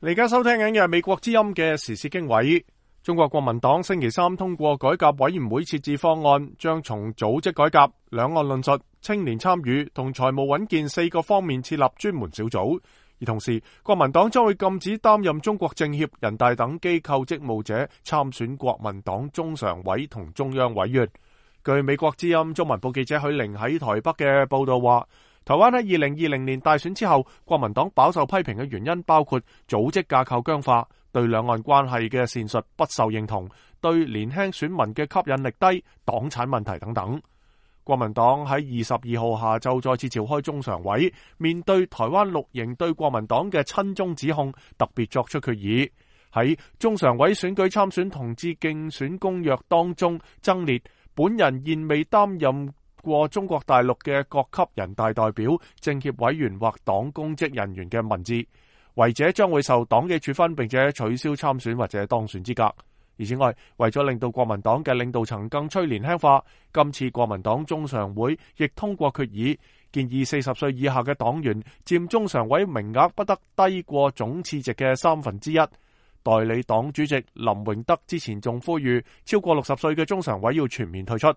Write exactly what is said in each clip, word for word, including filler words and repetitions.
你而家收聽緊嘅係美國之音嘅時事經緯。中國國民黨星期三通過改革委員會設置方案，將從組織改革、兩岸論述、青年參與同財務穩健四個方面設立專門小組。而同時，國民黨將會禁止擔任中國政協、人大等機構職務者參選國民黨中常委同中央委員。據美國之音中文部記者許玲喺台北嘅報道話，台灣喺二零二零年大選之後，國民黨飽受批評嘅原因包括組織架構僵化、對兩岸關係嘅闡述不受認同、對年輕選民嘅吸引力低、黨產問題等等。國民黨喺二十二號下晝再次召開中常委，面對台灣綠營對國民黨嘅親中指控，特別作出決議，喺中常委選舉參選同志競選公約當中增列本人現未擔任過中國大陸嘅各級人大代表、政協委員或黨公職人員嘅文字，違者將會受黨紀處分，並且取消參選或者當選資格。而此外，為咗令到國民黨嘅領導層更趨年輕化，今次國民黨中常會亦通過決議，建議四十歲以下嘅黨員佔中常委名額不得低過總次席嘅三分之一。代理黨主席林榮德之前仲呼籲，超過六十歲嘅中常委要全面退出。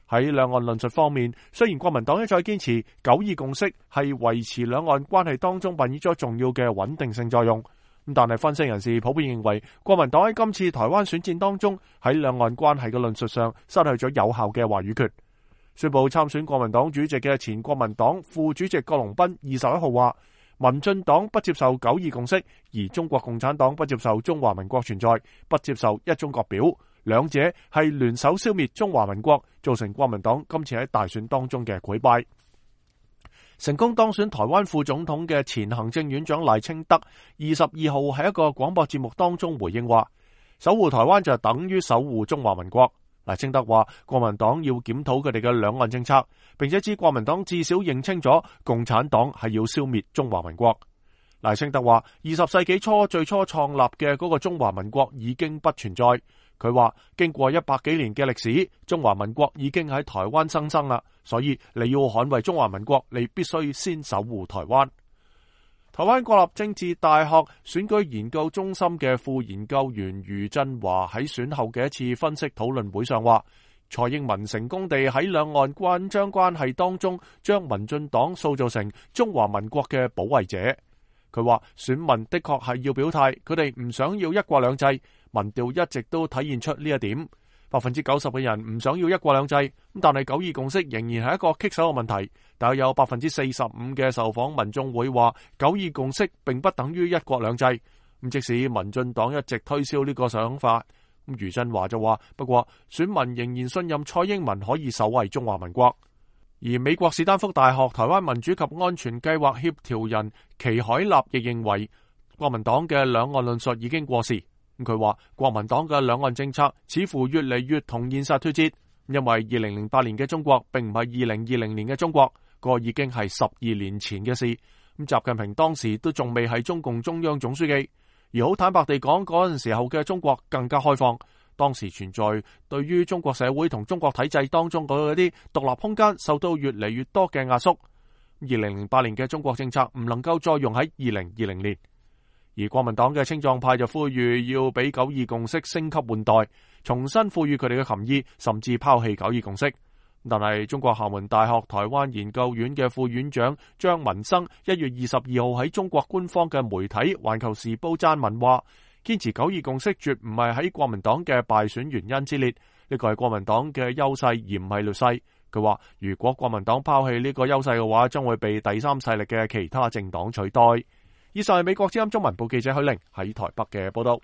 喺兩岸論述方面，雖然國民黨一再堅持九二共識係維持兩岸關係當中扮演咗重要嘅穩定性作用，但係分析人士普遍認為，國民黨喺今次台灣選戰當中喺兩岸關係嘅論述上失去咗有效嘅話語權。宣布參選國民黨主席嘅前國民黨副主席郭榮斌二十一號話，民進黨不接受九二共識，而中國共產黨不接受中華民國存在，不接受一中各表。兩者係聯手消滅中華民國，造成國民黨今次喺大選當中嘅潰敗。成功當選台灣副總統嘅前行政院長賴清德二十二號喺一個廣播節目當中回應話，守護台灣就等於守護中華民國。賴清德話，國民黨要檢討佢哋嘅兩岸政策，並且指國民黨至少認清咗共產黨係要消滅中華民國。賴清德話，二十世紀初最初創立嘅嗰個中華民國已經不存在。佢話經過一百幾年嘅歷史，中華民國已經喺台灣生生啦，所以你要捍衛中華民國，你必須先守護台灣。台灣國立政治大學選舉研究中心嘅副研究員余振華喺選後嘅一次分析討論會上話，蔡英文成功地喺兩岸關張關係當中將民進黨塑造成中華民國嘅保衛者。佢話選民的確係要表態，佢哋唔想要一國兩制，民調一直都體現出呢一點。百分之九十嘅人唔想要一國兩制，咁但係九二共識仍然係一個棘手嘅問題。但有百分之四十五嘅受訪民眾會話，九二共識並不等於一國兩制。咁即使民進黨一直推銷呢個想法，咁余振華就話，不過選民仍然信任蔡英文可以守衛中華民國。而美國史丹福大學台灣民主及安全計劃協調人祁海立亦認為，國民黨嘅兩岸論述已經過時。佢話國民黨嘅兩岸政策似乎越嚟越同現實脫節，因為二零零八年嘅中國並唔係二零二零年嘅中國，個已經係十二年前嘅事。咁習近平當時都仲未係中共中央總書記，而好坦白地講，嗰陣時候嘅中國更加開放。當時存在對於中國社會同中國體制當中嗰啲獨立空間受到越嚟越多嘅壓縮。二零零八年嘅中國政策唔能夠再用喺二零二零年，而國民黨嘅青壯派就呼籲要俾九二共識升級換代，重新賦予佢哋嘅含義，甚至拋棄九二共識。但係中國廈門大學台灣研究院嘅副院長張文生一月二十二號喺中國官方嘅媒體《環球時報》撰文話，堅持九二共識絕唔係喺國民黨嘅敗選原因之列，呢個係國民黨嘅優勢而唔係劣勢。佢話如果國民黨拋棄呢個優勢嘅話，將會被第三勢力嘅其他政黨取代。以上係美國之音中文部記者許玲喺台北嘅報道。